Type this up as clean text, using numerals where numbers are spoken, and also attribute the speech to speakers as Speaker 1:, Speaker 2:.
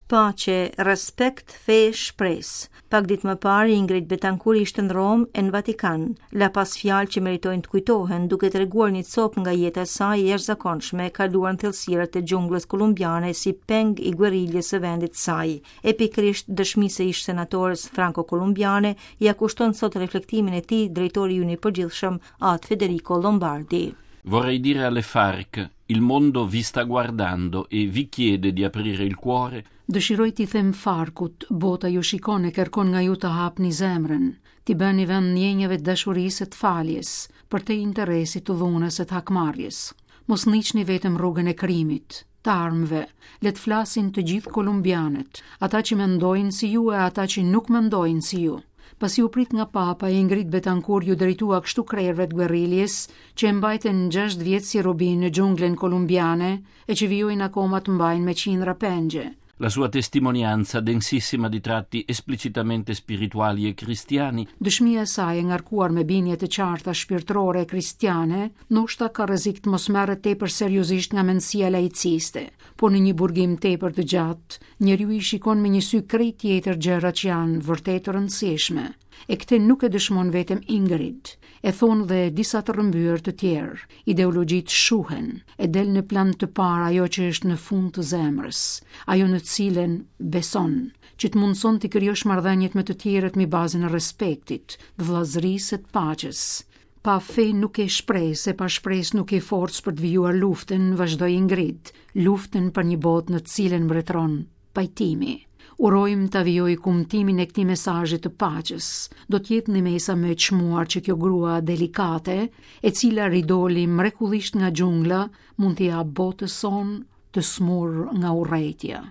Speaker 1: Paqe, respekt, fe, shpresë. Pak ditë më parë Ingrid Betancourt ishte në Romë e në Vatikan. La pas fjalë që meritojnë të kujtohen, duke treguar një copë nga jeta e saj e jashtëzakonshme, kaluar në thellësirat e xhunglës kolumbiane si peng i gueriljes së vendit të saj. E pikërisht dëshmisë së ish senatores franko-kolumbiane ia kushton sot reflektimin e tij drejtori ynë i përgjithshëm At Federico Lombardi.
Speaker 2: Vorrei dire alle FARC, il mondo vi sta guardando e vi chiede di aprire il cuore.
Speaker 3: Dëshiroj t'i them FARC-ut, bota ju shikon e kërkon nga ju të hapni zemrën, t'i bëni vend ndjenjave të dashurisë e të faljes, përtej interesit të dhunës e të hakmarrjes. Mos ndiqni vetëm rrugën e krimit, të armëve, le të flasin të gjithë kolumbianët, ata që mendojnë si ju e ata që nuk mendojnë si ju. Pasi u prit nga Papa, Ingrid Betancourt iu drejtua kështu krerëve të guerriljes, që e mbajtën 6 vjet si robi në xhunglën kolumbiane e që vijojnë akoma të mbajnë me qindra pengje.
Speaker 2: La sua testimonianza, densissima di tratti esplicitamente spirituali e cristiani,
Speaker 3: Dëshmia e saj e ngarkuar me bindje të qarta shpirtërore e kristiane, ndoshta ka rrezik të mos merret tepër seriozisht nga mendësia laiciste, por në një burgim tepër të gjatë, njeriu i shikon me një sy krejt tjetër gjërat që janë vërtet të rëndësishme. E këtë nuk e dëshmon vetëm Ingrid, e thonë dhe disa të rrëmbyer të tjerë. Ideologjitë shuhen, e del në plan të parë ajo që është në fund të zemrës, ajo në të cilën beson, që të mundëson të krijosh marrëdhëniet me të tjerët mbi bazën e respektit, të vëllazërisë e të paqes. Pa fe nuk ke shpresë, e pa shpresë nuk ke forcë për të vijuar luftën, vazhdoi Ingrid, luftën për një botë në të cilën mbretëron pajtimi. Urojmë ta vijojë kumtimin e këtij mesazhi të paqes. Do të jetë ndihmesa më e çmuar që kjo grua delikate, e cila ridoli mrekullisht nga xhungla, mund t'i japë botës sonë të sëmurë nga urrejtja.